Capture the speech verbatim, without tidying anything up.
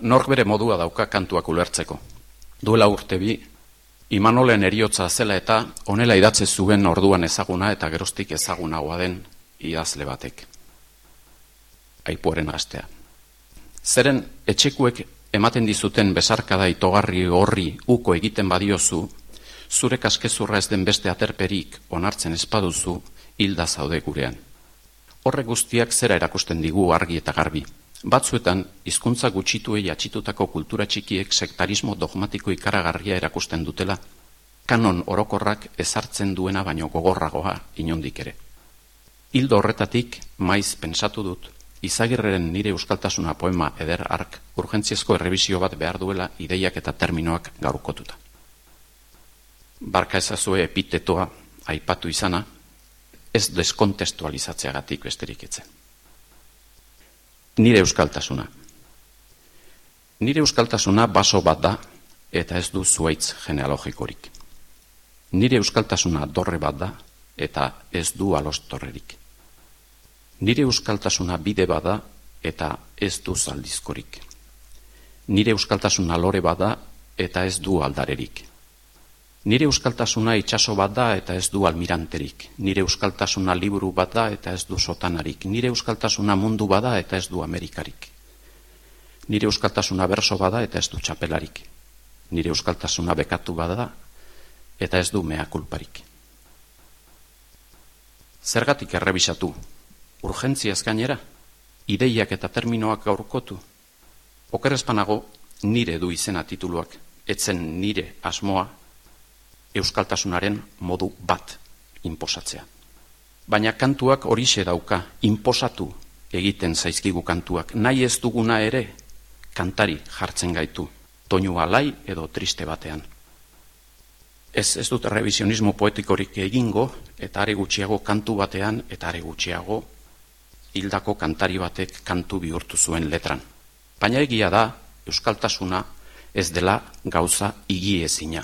Nork bere modua dauka kantuak ulertzeko. Duela urte bi, Imanolen eriotza zela eta honela idatze zuen orduan ezaguna eta geroztik ezagunagoa den idazle batek. Aipuaren astea. Zeren etxekuek ematen dizuten besarkada itogarri horri uko egiten badiozu, zure kaskezurra ez den beste aterperik onartzen espaduzu, hilda zaude gurean. Horrek guztiak zera erakusten digu argi eta garbi. Batzuetan, hizkuntza gutxituei atxitutako kultura txikiek sektarismo dogmatiko ikaragarria erakusten dutela, kanon orokorrak ezartzen duena baino gogorragoa inondik ere. Hildo horretatik, maiz pentsatu dut, Izagirreren Nire euskaltasuna poema eder ark urgentziazko errebisio bat behar duela ideiak eta terminoak gaurkotuta. Barka ezazue epitetoa aipatu izana, ez deskontestualizatzeagatik besterik etzen. Nire euskaltasuna. Nire euskaltasuna baso bat da eta ez du zuaitz genealogikorik. Nire euskaltasuna dorre bat da eta ez du alostorrerik. Nire euskaltasuna bide bada eta ez du zaldizkorik. Nire euskaltasuna lore bada eta ez du aldarerik. Nire euskaltasuna itsaso bat da eta ez du almiranterik. Nire euskaltasuna liburu bat da eta ez du sotanarik. Nire euskaltasuna mundu bada eta ez du Amerikarik. Nire euskaltasuna berso bada eta ez du txapelarik. Nire euskaltasuna bekatu bada eta ez du mea kulparik. Zergatik errebisatu? Urgentziaz gainera? Ideiak eta terminoak gaurkotu? Okerrezpanago nire du izena tituluak, etzen nire asmoa, euskaltasunaren modu bat inposatzea. Baina kantuak horixe dauka, inposatu egiten zaizkigu kantuak. Nahi ez duguna ere, kantari jartzen gaitu, toinu alai edo triste batean. Ez, ez dut revisionismo poetikorik egingo, eta are gutxiago kantu batean, eta are gutxiago hildako kantari batek kantu bihurtu zuen letran. Baina egia da, euskaltasuna ez dela gauza higiezina.